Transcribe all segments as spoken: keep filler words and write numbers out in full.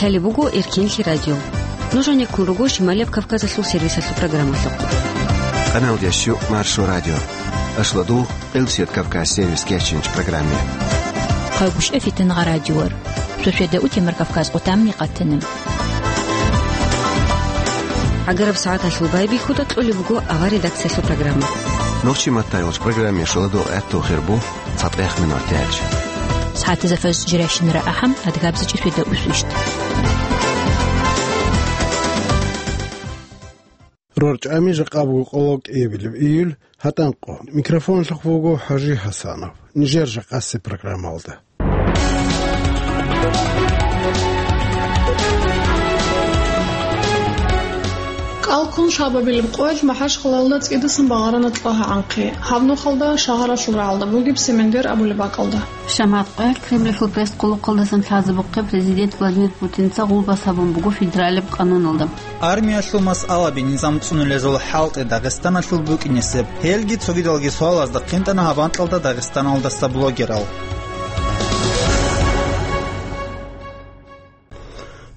Лъалеб буго Эркенлъи радио. Нуж гьанеккун руго Шималияб Кавказалъул сервисалъул программалъухъ. Къаналдияс щу Маршо радио. Ашлу дугъ Къилсият Кавказ сервис кечинч программе. Хъагушев Фитнагъа радиор. Шошеда утемар Кавказ къутамни къатана. ГӀагараб сагӀаталъул байбихьуда кьолеб буго авар редакциялъул программа. Нохчи маттайолч программе шуладу гӀатту хирбу. ЦатӀехъ минур тяч. СагӀатизафас жирашинра ахӀам, адгабзичӀи шведа усвищ. РорчӀами жакъа буго къоло кӀиабилеб июль, гьатӀанкъо. Микрофонлъухъ буго ХӀажи ХӀасанов. Нижер жакъасе программалда. КӀалккун шабабилеб къоялъ МахӀачхъалаялда цӀидасан багъарана кьогьа гӀанхъи. Гьаб нухалда шагьаралъул рагӀалда бугеб Семендер абулеб бакӀалда. Шамат къоялъ Кремльалъул пресс-къуллъукъалдасан лъазе бухъе президент Владимир Путинца гъулбас гьабун буго федералияб къануналда. Армиялъул масъалаби низам цӀунулезул хӀалтӀи Дагъистаналъул букӀинесеб. Гьелги цогидалги суалазда хъинтӀана гьаб анкьалда Дагъистаналдаса блогерал.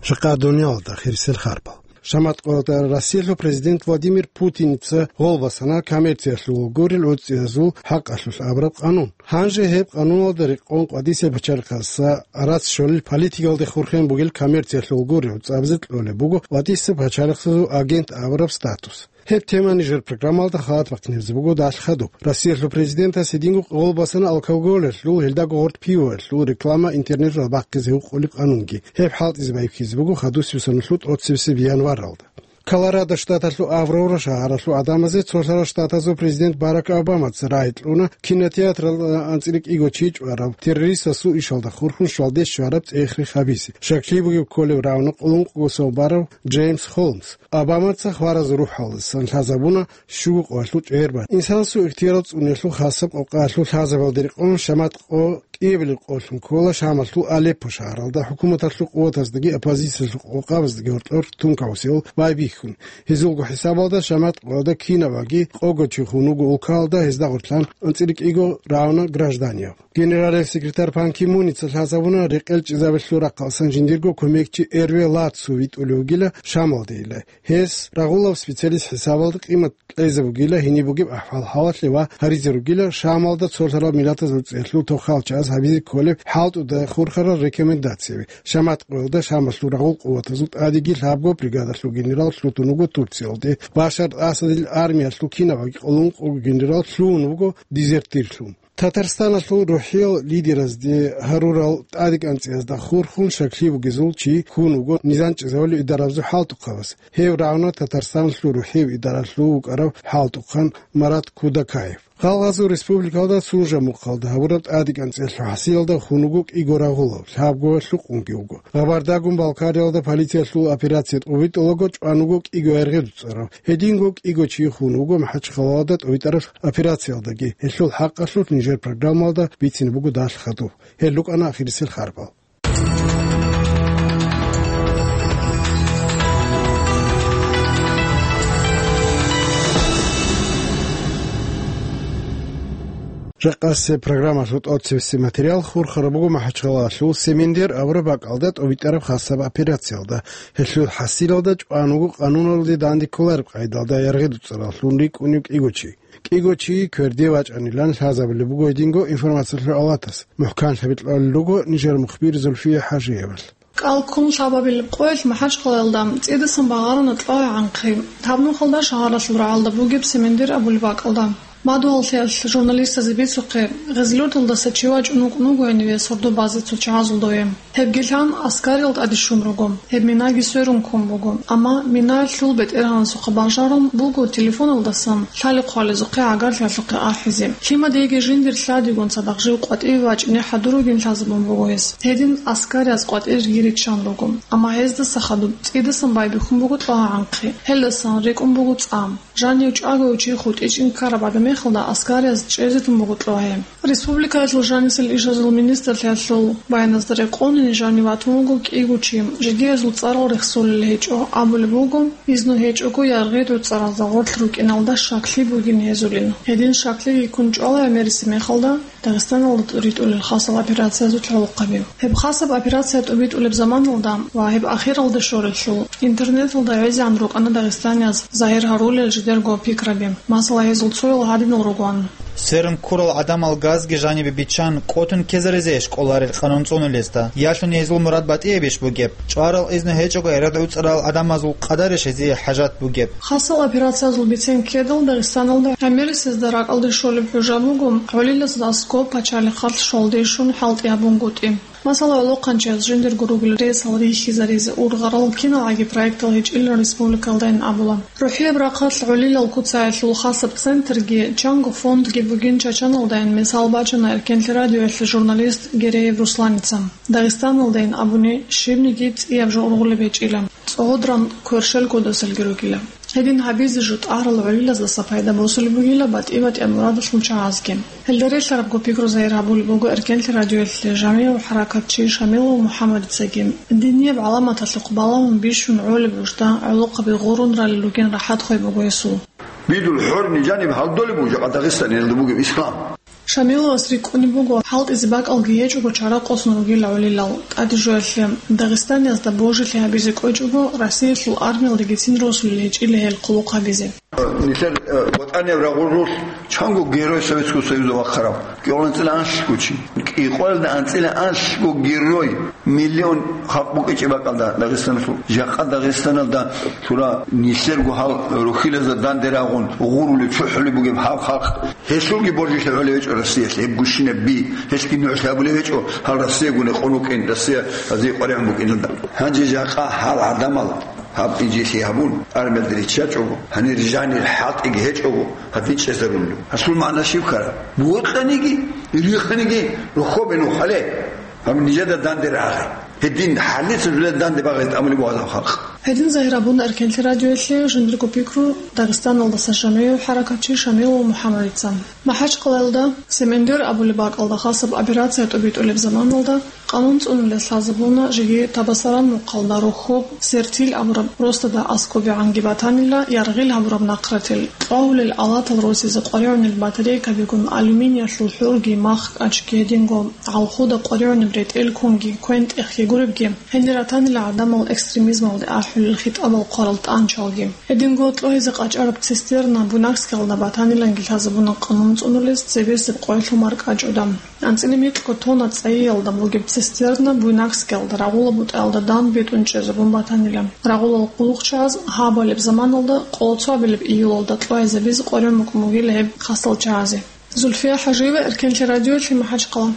Жакъа дуниялалда хирисел харбал. Шамат къоялда Россиялъул президент Владимир Путинца гъолбасана коммерциялъул гурел гӀуцӀиязул хӀакъалъулъ абураб къанун. Гьанже гьеб къануналда рекъон къватӀисеб пачалихъаса арас щолел политикалде хурхен бугел коммерциялъул гурел гӀуцӀабазе кьолеб буго къватӀисеб пачалихъсазул агент абураб статус. Гьеб тема нижер программалда халат бахъинабизе буго далъ хадуб. Россиялъул президентас гьединго гъолбасана алкоголалъул, гьелдаго гъоркь пивоялъул реклама интернеталда бахъизе гьукъулеб къанунги. Гьеб хӀалтӀизе байбихьизе буго хадусеб соналъул тӀоцебесеб январалда. Колорадо штаталъул Аврора шагьаралъул гӀадамазе цолъарал штатазул президент Барак Обамаца рагӀи кьуна кинотеатралда анцӀила кӀиго чи чӀвараб террористасул ишалда хурхун щвалде щвараб цӀех-рех гьабизе. Щаклъи бугеб кколев равно къулункъго сон барав Джеймс Холмс. Обамаца хваразул рухӀалдасан лъазабуна щуго къоялъул чӀегӀербат. Инсанасул ихтияр цӀуниялъул хасаб къокъаялъул лъазабалде рекъон Шамат къо кӀиабилеб къолъун ккола Шамалъул Алеппо шагьаралда хӀукуматалъул къуватаздаги оппозициялъул къокъабаздаги гьоркьор тункаусел байбихьун. Гьезулго хӀисабалда Шамат къоялда кинабаги къого чи хун вуго улкалда, гьезда гъорлъан анцӀила кӀиго равно гражданияв. Генералил секретарь Пан Ки Муница лъазабуна рекъел чӀезабелъул рахъалсан жиндирго кумекчи Эрве Лацу витӀулев вугила Шамалдейила. Гьес рагъулав специалист хӀисабалда къимат кьезе бугила гьениб бугеб ахӀвал-хӀалалъе ва гьаризе ругила Шамалда цолъарал миллатазул цӀеялъул тохал чагӀаз гьабизе кколеб хӀалтӀуда хурхарал рекомендацияби. Шамат къоялда Шамалъул рагъул къуватазул тӀадеги лъабго бригадалъул генерал лъутун вуго Турциялде Башар Асадил армиялъул кинабаги къулункъго генерал лъугьун вуго дезертирлъун. Татарстаналъул рухӀиял лидеразде гьарурал тӀадекӀанцӀиязда хурхун щаклъи бугезул чи хун вуго низам чӀезавулев идарабазул хӀалтӀухъабаз. Гьев равно Татарстаналъул рухӀияб идаралъув вукӀарав хӀалтӀухъан Марат Кудакаев. Гъалгъазул республикалда Сунжа мухъалда гьабураб тӀадекӀанцӀиялъул хӀасилалда хун вуго кӀиго рагъулав, лъабго лъукъунги вуго. Гъабардагун Балкариялда полициялъул операция тӀубитӀулаго чӀван вуго кӀиго яргъи дуцӀарав. Гьединго кӀиго чи хун вуго МахӀачхъалаялда тӀубитӀараб операциялдаги. Гьелъул хӀакъалъулъ нижер программалда бицине буго далъ хадуб. Гьел рукӀана ахирисел харбал. Жакъасеб программалъул тӀоцебесеб материал хурхараб буго МахӀачхъалаялъул Семендер абураб бакӀалда тӀубитӀараб хасаб операциялда. Гьелъул хӀасилалда чӀван вуго къануналде данде кколареб къайдалда яргъи дуцӀараллъун рикӀкӀунев кӀиго чи. КӀиго чи кверде вачӀанилан лъазабулеб буго гьединго информациялъул авлатас. МухӀканлъаби кьолел руго нижер мухбир Зульфия ХӀажиевалъ. КӀалккун лъабабилеб къоялъ МахӀачхъалаялда цӀидасан багъарана кьогьа гӀанхъи. Гьаб нухалда шагьаралъул рагӀалда бугеб Семендер абулеб бакӀалда. Мадугьаллъиялъ журналистазе бицухъе, Гъезлъурталдаса чи вачӀун вукӀун вуго гьениве сордо базе цо чагӀазул дове. Гьебги лъан, аскарил тӀаде щун руго. Гьеб минаги сверун ккун буго. Амма мина лъул бетӀергьанасухъа бажарун буго телефоналдасан лъали-хъвалезухъе гӀагарлъиялъухъе ахӀизе. Лъимадиеги жиндир лъадигун цадахъ жив къватӀиве вачӀине хӀадур ругин лъазабун буго гьес. Гьедин аскариз къватӀирги риччан руго. Амма гьездаса хадуб цӀидасан байбихьун буго кьогьа гӀанхъи. Гьелдасан рикӀкӀун буго цӀа. Жанив чӀаго чи хутӀичӀин ккараб гӀадамихалда аскариз чӀезе тун буго кьогьа. Республикаялъул жанисел ишазул министрлъиялъул баяназда рекъон, Жанив ватун вуго кӀиго чи, жидеязул цӀарал рехсолел гьечӀо, абулеб буго, изну гьечӀого яргъи гӀуцӀаразда гъорлъ рукӀиналда щаклъи бугин гьезулин. Гьедин щаклъиги ккун чӀвала гӀемериси мехалда Дагъистаналда ритӀулел хасал операциязул гӀолохъаби. Гьеб хасаб операция тӀубитӀулеб заманалда ва гьеб ахиралде щолелъул, интернеталда гӀезегӀан рукӀана дагъистанияз загьир гьарулел жидерго пикраби. Масала, гьезул цоял гьадинал ругоан. Сверун ккурал гӀадамал газги жанибе биччан, къотун ккезаризейищ кӀоларел къанун цӀунулезда? Ялъун гьезул мурад батӀиябищ бугеб? ЧӀварал изну гьечӀого яргъи гӀуцӀарал гӀадамазул къадарищ гьезие хӀажат бугеб? Хасал операциязул бицен ккедал Дагъистаналда гӀемерисезда ракӀалде щолеб хӀужа буго гӀолилазда аскӀоб пачалихъалъ щолде щун хӀалтӀи гьабунгутӀи. Масала, гӀолохъанчияс жиндирго ругел ресал рихьизаризе, ургъарал киналгӀаги проектал гьечӀилан республикалдайин абула. РухӀияб рахъалъ гӀолилал куцаялъул хасаб центрги, чанго фондги бугин Чачаналдайин мисал бачана Эркенлъи радиоялъе журналист Гереев Русланица. Дагъистаналдайин абуни, щибниги цӀияб жо ургъулеб гьечӀила, цӀогьодран кверщел кодасалги ругила. Гьедин гьабизе жо тӀагьарал гӀолилаздаса пайда босулеб бугила батӀи-батӀияб мурадалъул чагӀазги. Гьелда релълъарабго пикру загьир гьабулеб буго Эркенлъи радиоялъе жамигӀав хӀаракатчи Шамилов МухӀаммадицаги. Динияб гӀаламаталъухъ балагьун бищун гӀолеб гьужда гӀолохъаби гъурун ралел ругин рахӀат хвей буго гьесул. Бидул хӀорни жаниб гьалдолеб буго жакъа Дагъистаниялда бугеб ислам. Шамиловас рикӀкӀунеб буго, хӀалтӀизе бакӀалги гьечӀого чара къосун ругила гӀолилал. ТӀаде жоялъе, Дагъистаниязда божилъи гьабизе кӀвечӀого, Россиялъул армиялдагицин росулел гьечӀила гьел хъулухъ гьабизе. Нилъер, э, ВатӀанияб рагъулъулъ чанго Герой Советского Союза вахъарав, кӀикъоялда анцӀила анлъго чи, кӀикъоялда анцӀила анлъго герой, миллион халкъ букӀинчӀеб бакӀалда Дагъистаналъул. Жакъа Дагъистаналда лъура нилъерго гьал рухьилазда данде рагъун гъурулеб, чӀухӀулеб бугеб гьав халкъ. Гьелъулги божилъи гьолев гьечӀо Россиялъе, гьеб гущинаб би, гьелъги нугӀлъи абулев гьечӀо, гьал Россиягун гьекъон вукӀин, Россия гьазие къваригӀун букӀиналда. Гьанже жакъа гьал гӀадамал гьаб инжитлъи гьабун, армиялде риччачӀого, гьанир жанир хӀалтӀиги гьечӀого, гьадин чӀезарулев. Гьасул магӀна щиб ккараб? Бокьаниги, риханиги рохобе нухале, гьаб нижеда данде рагъе. Гьедин хӀалица жулел данде багъи тӀамулеб бугеб халкъ. Гьедин загьир абуна Эркенлъи радиоялъе жиндирго пикру Дагъистаналдаса жамигӀав хӀаракатчи Шамилов МухӀаммадица. МахӀачкъалаялда Семендер абулеб бакӀалда хасаб операция тӀубитӀулеб заманалда къанун цӀунулел лъазабуна жеги Табасаран мухъалда рохоб Сертил абураб росдада аскӀобегӀанги батанила яргъил гьабураб нахъратил, кьвагьулел алатал росизе къваригӀунел батарейкабигун алюминиялъул хӀурги, мах, кӀачги, гьединго гӀалхуда къваригӀунеб ретӀел кунги, квен-тӀехги гуребги. Гьенир ратанила гӀадамал экстремизмалде ахӀулел хитӀабал хъварал тӀанчалги. Гьединго кьвагьизе къачӀараб цистерна Буйнакскиялда батаниланги лъазабуна къанун цӀунулез цебесеб къоялъул маркӀачӀуда. АнцӀила микьго тонна цӀайиялда бугеб цистерна Буйнакскиялда рагъула бутӀаялда дандбетӀун чӀезабун батанила. Рагъулал хъулухъчагӀаз гьабалеб заманалда, къоло цоабилеб июлалда, кьвагьизабизе къваригӀун букӀун бугила гьеб хасал чагӀазе. Зульфия ХӀажиева, Эркенлъи радиоялъе, МахӀачкъала.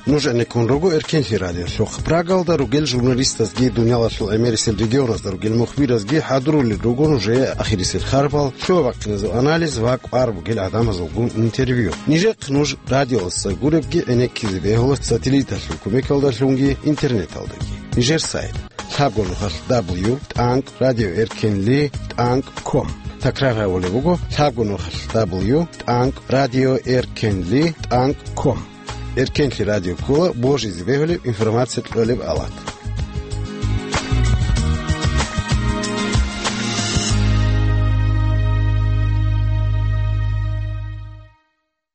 Нуж гӀенеккун руго Эркенлъи радиолъухъ. Прагалда ругел журналистазги, дуниялалъул гӀемерисел регионазда ругел мухбиразги хӀадурулел руго нужее ахирисел харпал, лъугьа-бахъиназул анализ ва кӀвар бугел гӀадамазулгун интервью. Нижехъ нуж радиоялдаса гуребги гӀенеккизе бегьула сателлиталъул кумекалдалъунги интернеталдаги. Нижер сайт: лъабго нухалъ дабл ю тӀанкӀ радио эркенли тӀанкӀ ком. Такрар гьабулеб буго: лъабго нухалъ дабл ю тӀанкӀ радио эркенли тӀанкӀ ком. Эркенлъи радио ккола божизе бегьулеб, информация кьолеб алат.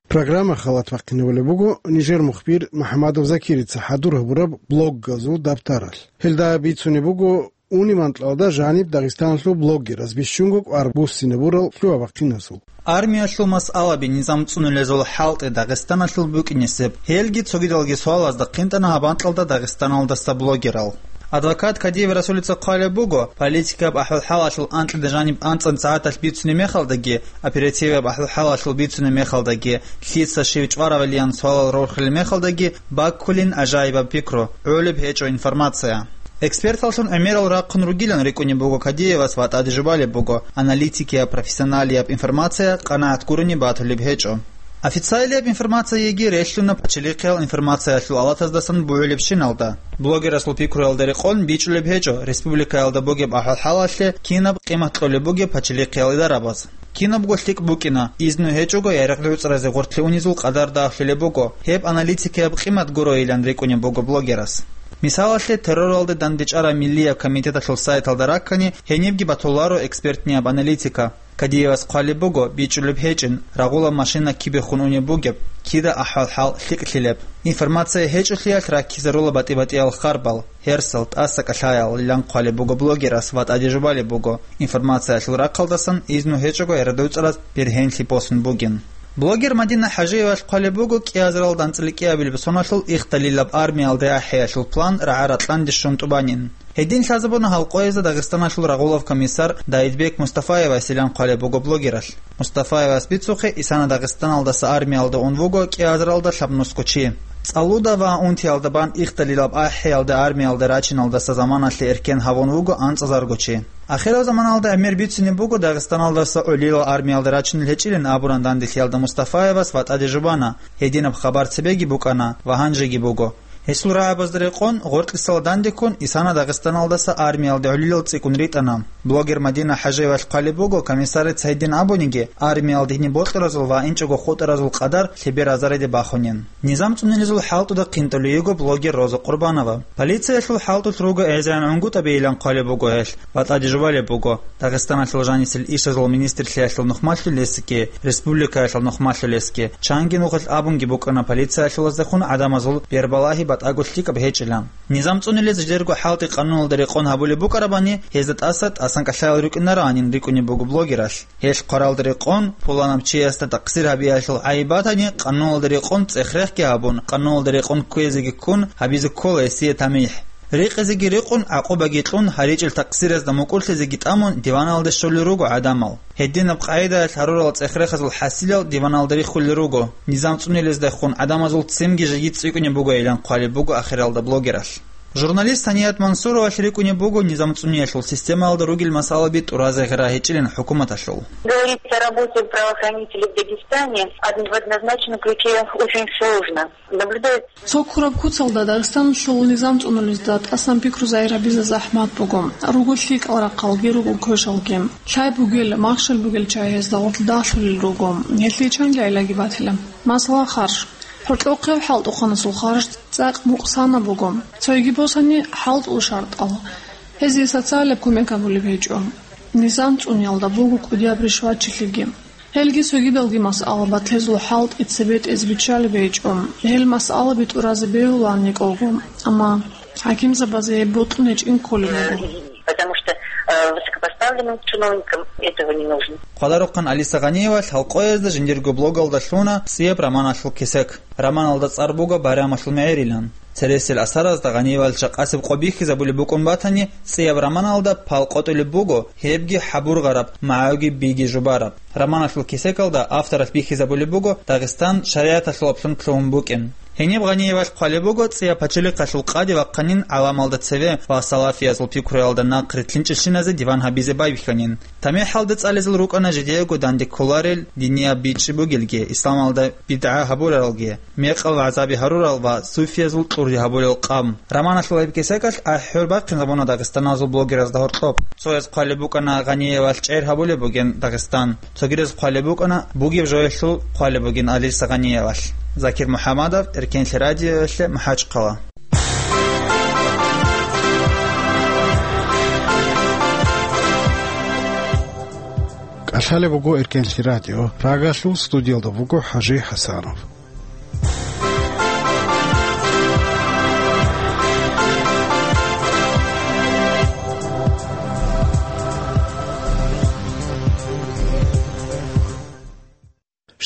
Программа халат бахъинабулеб буго нижер мухбир МухӀамадов Закирица хӀадур гьабураб блоггазул дабтаралъ. Гьелда бицунеб буго униб анкьалда жаниб Дагъистаналъул блогераз бищунго кӀвар буссинабурал лъугьа-бахъиназул. Армиялъул масъалаби низам цӀунулезул хӀалтӀи Дагъистаналъул букӀинесеб, гьелги цогидалги суалазда хъинтӀана гьаб анкьалда Дагъистаналдаса блогерал. Адвокат Кадиев Расулица хъвалеб буго, политикаб ахӀвал-хӀалалъул анкьида жаниб анцӀан сагӀаталъ бицунеб мехалдаги, оперативаб ахӀвал-хӀалалъул бицунеб мехалдаги, лъица щив чӀваравилан суалал рорхилел мехалдаги баккулин гӀажаибаб пикру, гӀолеб гьечӀо информация. Эксперталлъун гӀемерал рахъун ругилан рикӀкӀунеб буго Кадиевас ва тӀаде жубалеб буго, аналитикияб, профессионалияб информация къанагӀат гурони батулеб гьечӀо. Официалияб информацияги релълъуна пачалихъиял информациялъул алатаздасан бугӀулебщиналда. Блогерасул пикруялда рекъон бичӀчӀулеб гьечӀо республикаялда бугеб ахӀвал-хӀалалъе кинаб къимат кьолеб бугеб пачалихъиял идарабаз. Кинабго лъикӀ букӀина, изну гьечӀого ярагъ-гӀуцӀразе гъоркье унезул къадар дагьлъулеб буго, гьеб аналитикияб къимат гуроилан рикӀкӀунеб буго блогерас. Мисалалъе, терроралде дандечӀараб Миллияб комитеталъул сайталда раккани, гьенибги батуларо экспертнияб аналитика. Кадиевас хъвалеб буго, бичӀчӀулеб гьечӀин, рагъулаб машина кибехун унеб бугеб, кида ахӀвал-хӀал лъикӀлъилеб. Информация гьечӀолъиялъ раккизарула батӀи-батӀиял харбал, гьерсал, тӀаса кӀалъаялилан хъвалеб буго блогерас ва тӀаде жубалеб буго, информациялъул рахъалдасан изну гьечӀого ярагъ-гӀуцӀраз бергьенлъи босун бугин. Блогер Мадина ХӀажиевалъ хъвалеб буго кӀиазаралда анцӀила кӀиабилеб соналъул Ихталилаб армиялде ахӀиялъул план рагӀа-ракьанде щун тӀубанин. Гьедин лъазабуна гьал къоязда Дагъистаналъул рагъулав комиссар Даидбек Мустафаевасилан хъвалеб буго блогералъ. Мустафаевас бицухъе, исана Дагъистаналдаса армиялда ун вуго кӀиазаралда лъабнусго чи. ЦӀалуда ва унтиялда бан Ихталилаб ахӀиялде армиялде рачиналдаса заманалъе эркен гьавун вуго анцӀазарго чи. Ахирав заманалда гӀемер бицунеб буго Дагъистаналдаса гӀолилал армиялде рачунел гьечӀилин абуран данделъиялда Мустафаевас ва тӀаде жубана, гьединаб хабар цебеги букӀана ва гьанжеги буго. Гьесул рагӀабазда рекъон, гъоркьисал дандеккун, исана Дагъистаналдаса армиялде гӀолилал цӀикӀкӀун ритӀана. Блогер Мадина ХӀажиевалъ хъвалеб буго, комиссарица гьедин абуниги, армиялде гьениб бокьаразул ва инчӀого хутӀаразул къадар лъебер азарде бахунин. Низам цӀунулезул хӀалтӀуда хъинтӀулей йиго блогер Роза Къурбанова. Полициялъул хӀалтӀулъ руго гӀезегӀан гӀунгутӀабейилан хъвалеб буго гьелъ ва тӀаде жубалеб буго. Дагъистаналъул жанисел ишазул министрлъиялъул нухмалъулесги, республикаялъул нухмалъулесги, чанги нухалъ абунги букӀана полициялъулаздехун гӀадамазул бербалагьи батӀаго лъикӀаб гьечӀилан. Низам цӀунулез жидерго хӀалтӀи къануналда рекъон гьабулеб букӀарабани, гьезда тӀаса тӀасан кӀалъаял рукӀинароанин рикӀкӀунеб буго блогералъ. Гьелъ хъваралда рекъон, пуланаб чиясда такъсир гьабиялъул гӀайиб батани, къануналда рекъон цӀех-рехги гьабун, къануналда рекъон кквезеги ккун, гьабизе ккола гьесие тамихӀ. Рекъезеги рекъон, гӀакъубаги кьун, гьаричӀел такъсиразда мукӀурлъизеги тӀамун, диваналде щолел руго гӀадамал. Гьединаб къагӀидаялъ гьарурал цӀех-рехазул хӀасилал диваналда риххулел руго. Низам цӀунулездехун гӀадамазул ццинги жеги цӀикӀкӀунеб бугойилан хъвалеб буго ахиралда блогералъ. Журналист Саният Мансуровалъ рикӀкӀунеб буго низам цӀуниялъул системаялда ругел масъалаби тӀуразе гъира гьечӀилин хӀукуматалъул. Говорить о работе правоохранителей в Дагестане од-, в однозначном ключе очень сложно. Наблюдается. Цо ккураб куцалда Дагъистаналъул низам цӀунулезда тӀасан пикру загьир гьабизе захӀмат буго. Руго лъикӀал рахъалги, руго квешалги. Лъай бугел, махщел бугел чагӀи гьезда гъорлъ дагьлъулел руго. Гьелъие чанги гӀиллаги батила. Масала, харж. ХӀоркьохъев хӀалтӀухъанасул харж цӀакъ мукъсанаб буго. Цойги босани хӀалтӀул шартӀал. Гьезие социалияб кумек гьабулеб гьечӀо. Низам цӀуниялда буго кӀудияб ришватчилъиги. Гьелги цогидалги масъала батлъезул хӀалтӀи цебетӀез биччалеб гьечӀо. Гьел масъалаби тӀуразе бегьулаан кӀалго, амма хӀакимзабазе гьеб бокьун гьечӀин кколеб буго. Потому что, э, высокопоставленным чиновникам этого не нужно. Хъваларухъан Алиса Гъаниевалъ гьал къоязда жиндирго блогалда лъуна цӀияб романалъул кесек. Романалда цӀар буго «Байрамалъул мегӀерилан». Цересел асаразда Гъаниевалъ жакъасеб къо бихьизабулеб букӀун батани, цӀияб романалда пал къотӀулеб буго, гьебги хӀабургъараб, магӀуги биги жубараб. Романалъул кесекалда авторалъ бихьизабулеб буго Дагъистан шаригӀаталъулаблъун лъугьун букӀин. Гьениб Гъаниевалъ хъвалеб буго цӀияб пачалихъалъул къаде вахъанин гӀаламалда цеве ва салафиязул пикруялда нахърилълъинчӀелщиназе диван гьабизе байбихьанин. ТамихӀалда цӀализал рукӀана жидеего данде кколарел динияб бичӀчӀи бугелги, исламалда бидгӀа гьабуралги, мекъал вагӀзаби гьарурал ва суфиязул кьурги гьабулел къам. Романалъул гьеб кесекалъ ахӀи-хӀур бахъинзабуна дагъистаназул блогеразда гьоркьоб. Цояз хъвалеб букӀана Гъаниевалъ чӀегӀер гьабулеб бугин Дагъистан. Цогидаз хъвалеб букӀана бугеб жоялъул хъвалеб бугин Алиса Гъаниевалъ. Закир МухӀаммадов, Эркенлъи радиоялъе, МахӀачхъала. КӀалъалеб буго Эркенлъи радио. Прагалъул студиялда вуго ХӀажи ХӀасанов.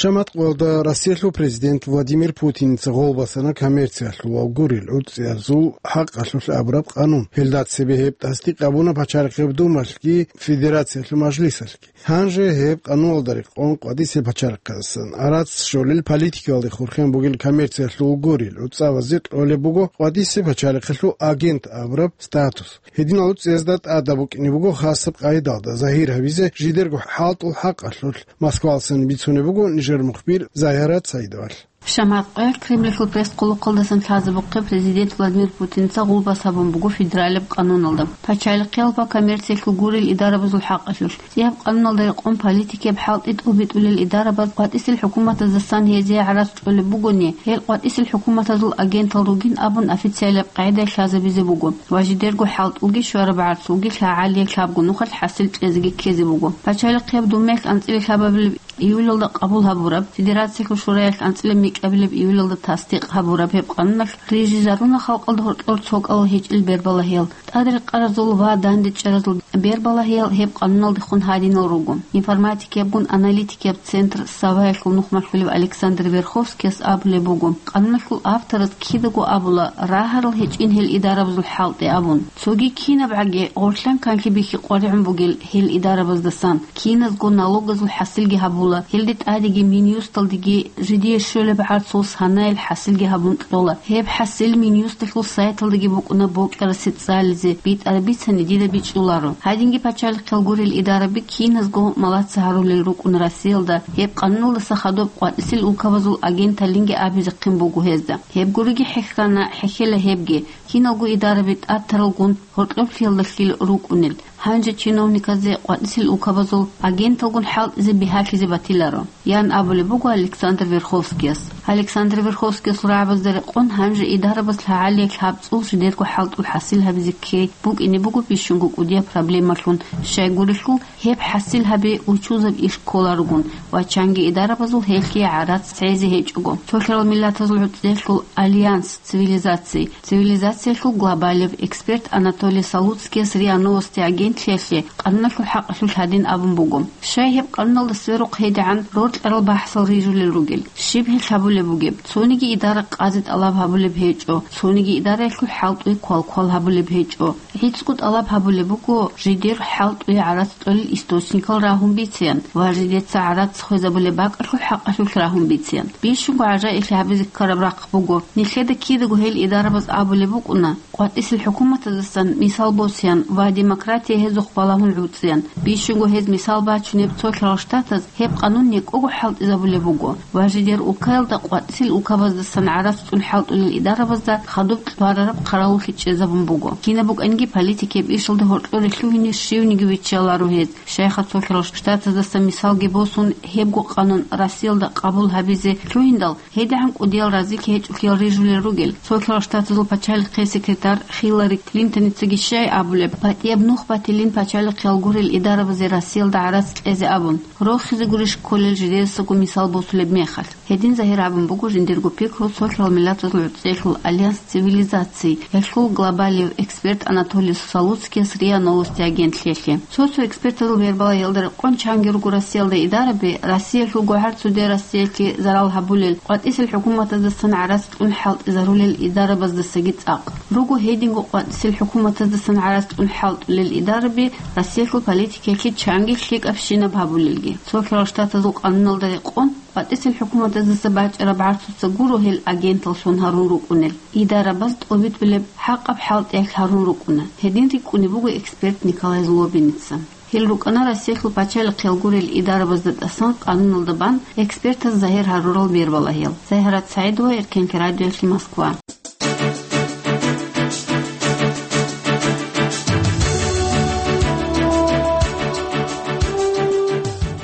Шамат къоялда Россиялъул президент Владимир Путиница гъол басана коммерциялъул ва гурел гӀуцӀиязул хӀакъалъулъ абураб къанун. Гьелда цебе гьеб тасдикъ гьабуна Пачалихъеб Думалъги Федерациялъул Мажлисалъги. Гьанже гьеб къануналда рекъон къватӀисел пачалихъаздасан арац щолел политикалде хурхен бугел коммерциялъул гурел гӀуцӀабазе кьолеб буго къватӀисел пачалихъалъул агент абураб статус. Гьединал гӀуцӀиязда тӀадаб букӀине буго хасаб къайдалда загьир гьабизе жидерго хӀалтӀул хӀакъалъулъ. Москвалдасан бицунеб буго Мухбир Загьарат Саидовалъ. Шамат къоялъ Кремльалъул пресс-хъулухъалдасан лъазабухъе президент Владимир Путинца гъулбас гьабун буго федералияб къануналда. Пачалихъиялъул ва коммерциялъул гурел идарабазул хӀакъалъулъ. ЦӀияб къануналда рекъон политикияб хӀалтӀи тӀубитӀулел идарабаз къватӀисел хӀукуматаздасан гьезие гӀарац чӀолеб бугони, гьел къватӀисел хӀукуматазул агентал ругин абун официалияб къагӀидаялъ лъазабизе буго ва жидерго хӀалтӀулги щвараб гӀарцулги лъагӀалияб лъабго нухалъ хӀасил кьезеги ккезе буго. Пачалихъияб Думаялъ анцӀила лъабабилеб июлалда къабул гьабураб, Федерациялъул Шураялъ анцӀила микьабилеб июлалда тасдикъ гьабураб гьеб къануналъ рижизаруна халкъалда гьоркьор цо кӀалал гьечӀил бербалагьиял, тӀадрикъаразул ва дандечӀаразул бербалагьиял гьеб къануналдехун гьадинал руго. Информатикиябгун аналитикияб центр «Саваялъул» нухмалъулев Александр Верховскияс абулеб буго, къануналъул автораз кидаго абула, рагьарал гьечӀин гьел идарабазул хӀалтӀи абун. Цоги кинабгӀаги гъорлъан канлъи бихьи къваригӀун бугел гьел идарабаздасан, киназго налогазул хӀасилги гьабула, гьелде тӀадеги Минюсталдеги жидее щолеб гӀарцул санаялъ хӀасилги гьабун кьола. Гьеб хӀасил Минюсталъул сайталдаги букӀуна бокьарасе цӀализе, битӀараб бицани дида бичӀчӀуларо. Гьадинги пачалихъал гурел идараби киназго малаца гьарулел рукӀун Россиялда, гьеб къануналдаса хадуб къватӀисел улкабазул агенталинги абизехъин буго гьезда. Гьеб гуриги хӀехьана, хӀехьела гьебги, киналго идараби тӀатаралгун гьоркьоблъиялдалъил рукӀунел, гьанже чиновниказде къватӀисел улкабазул агенталгун хӀалтӀизе бигьалъизе батиларо, ян абулеб буго Александр Верховскияс. Александр Верховскиясул рагӀабазда рекъон гьанже идарабаз лъагӀалиялъ гьаб цӀул жидерго хӀалтӀул хӀасил гьабизе ккей букӀине буго бищунго кӀудияб проблемалъун, щайгурелъул гьеб хӀасил гьаби учузаб иш кколарогун ва чанги идарабазул гьелъие гӀарац цӀезе гьечӀого. Цолъарал миллатазул гӀуцӀиялъул Альянс цивилизаций, цивилизациялъул глобалев эксперт Анатолий Салуцкияс РИА Новости агентлъиялъе къануналъул хӀакъалъулъ гьадин абун буго: «Щай гьеб къануналда сверухъ гьедигӀан роркьарал бахӀсал рижулел ругел? Щиб гьелъ гьабулеб бугеб? Цониги идара къазе тӀалаб гьабулеб гьечӀо, цониги идараялъул хӀалтӀуе квал-квал гьабулеб гьечӀо. ГӀицӀго тӀалаб гьабулеб буго жидер хӀалтӀуе гӀарац кьолел источникал рагьун бицеян ва жидеца гӀарац хвезабулеб бакӀалъул хӀакъалъулъ рагьун бицеян». Бищунго гӀажаиблъи гьабизе ккараб рахъ буго, нилъеда кидаго гьел идарабаз абулеб букӀуна, къватӀисел хӀукуматаздасан мисал босеян ва демократия гьезухъ балагьун гӀуцӀеян. Бищунго гьез мисал бачунеб цолъарал штатаз гьеб къанун некӀого хӀалтӀизабулеб буго ва жидер улкаялда къватӀисел улкабаздасан гӀарац цӀун хӀалтӀулел идарабазда хадуб кьварараб хъаравуллъи чӀезабун буго. Кинаб букӀанги политикияб ишалда гьоркьоре лъугьине щивниги виччаларо гьез. Щайха цолъарал штатаздаса мисалги босун, гьебго къанун Россиялда къабул гьабизе лъугьиндал, гьедигӀан кӀудиял разилъи гьечӀолъиял рижулел ругел. Цолъарал штатазул пачалихъе секретарь Хиллари Клинтоницаги щай абулеб, батӀияб нух батилин пачалихъиял гурел идарабазе Россиялда гӀарац кьезе абун, рохизе гурищ кколел жидедасаго мисал босулеб мехалъ. Гьедин загьир гьабун буго жиндирго пикру цолъарал миллатазул гӀуцӀиялъул Альянс цивилизаций, гьелъул глобалев эксперт Анатолий Салуцкияс РИА Новости агентлъиялъе. Цо-цо экспертазул бербалагьиялда рекъон чанги руго Россиялда идараби, Россиялъул гогӀар цоде Россиялъе зарал гьабулел, къватӀисел хӀукуматаздасан гӀарац кьун хӀалтӀизарулел идарабаздасаги цӀакъ. Руго гьединго къватӀисел хӀукуматаздасан гӀарац кьун хӀалтӀулел идараби Россиялъул политикаялъе чанги лъикӀабщинаб гьабулелги. Цолъарал штатазул къануналда рекъон, къватӀисел хӀукуматаздаса бачӀараб гӀарцуца гуро гьел агенталлъун гьарун рукӀунел, идарабаз тӀобитӀулеб хӀакъаб хӀалтӀиялъ гьарун рукӀуна. Гьедин рикӀкӀунеб буго эксперт Николай Злобиница. Гьел рукӀана Россиялъул пачалихъиял гурел идарабазда тӀасан къануналда бан экспертаз загьир гьарурал бербалагьиял. Загьират СагӀидова, Эркенлъи радиоялъе, Москва.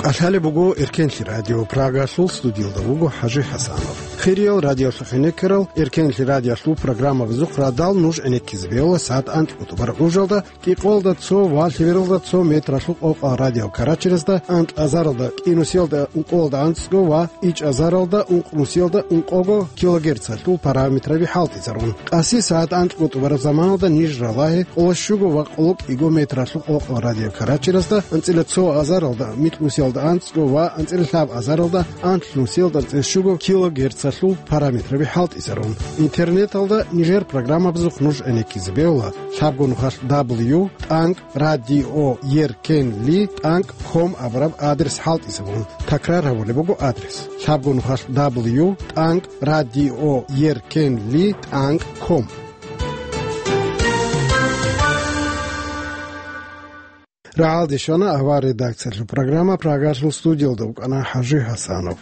КӀалъалеб буго Эркенлъи радио, Прагалъул, студиялда вуго ХӀажи ХӀасанов. Хириял радиолъухъ гӀенеккарал, Эркенлъи радиолъул программабазухъ радал нуж гӀенеккизе бегьула сагӀат анкьго тӀубараб гӀужалда, кӀикъоялда цо ва лъебералда цо метралъул къокъал радио Карачерезда, анкь азаралда кӀинусиялда ункъоялда анцӀго ва ичӀ азаралда ункънусиялда ункъого килогерцалъул параметраби хӀалтӀизарун. Къаси сагӀат анкьго тӀубараб заманалда ниж ралагье къоло щуго ва къоло кӀиго метралъул къокъал радио Карачерезда, анцӀила цо азаралда микьнусиялда анцӀго ва анцӀила лъаб азаралда анлънусиялда анцӀила щуго килогерцалъул параметраби хӀалтӀизарун. Интернеталда нижер программабазухъ нуж гӀенеккизе бегьула лъабго нухалъ дабл ю тӀанкӀ радио еркенли тӀанкӀ ком абураб адрес хӀалтӀизабун. Такрар гьабулеб буго адрес: лъабго нухалъ дабл ю тӀанкӀ радио еркенли тӀанкӀ ком. РагӀалде щвана авар редакциялъул программа, Прагалъул, студиялда вукӀана ХӀажи ХӀасанов.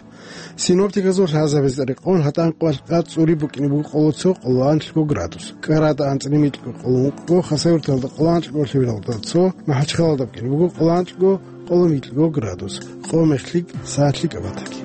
Синоптиказул лъазабазда рекъон гьатӀан къвалъ къад цӀури букӀине буго къоло цо, къоло анлъго градус, КӀарада анцӀила микьго, къоло ункъго, Хасавюрталда къоло анлъго, Лъивалда цо, МахӀачхъалада букӀине буго къоло анлъго, къоло микьго градус, къо-мехлъи, сагьлъи кӀабатаги.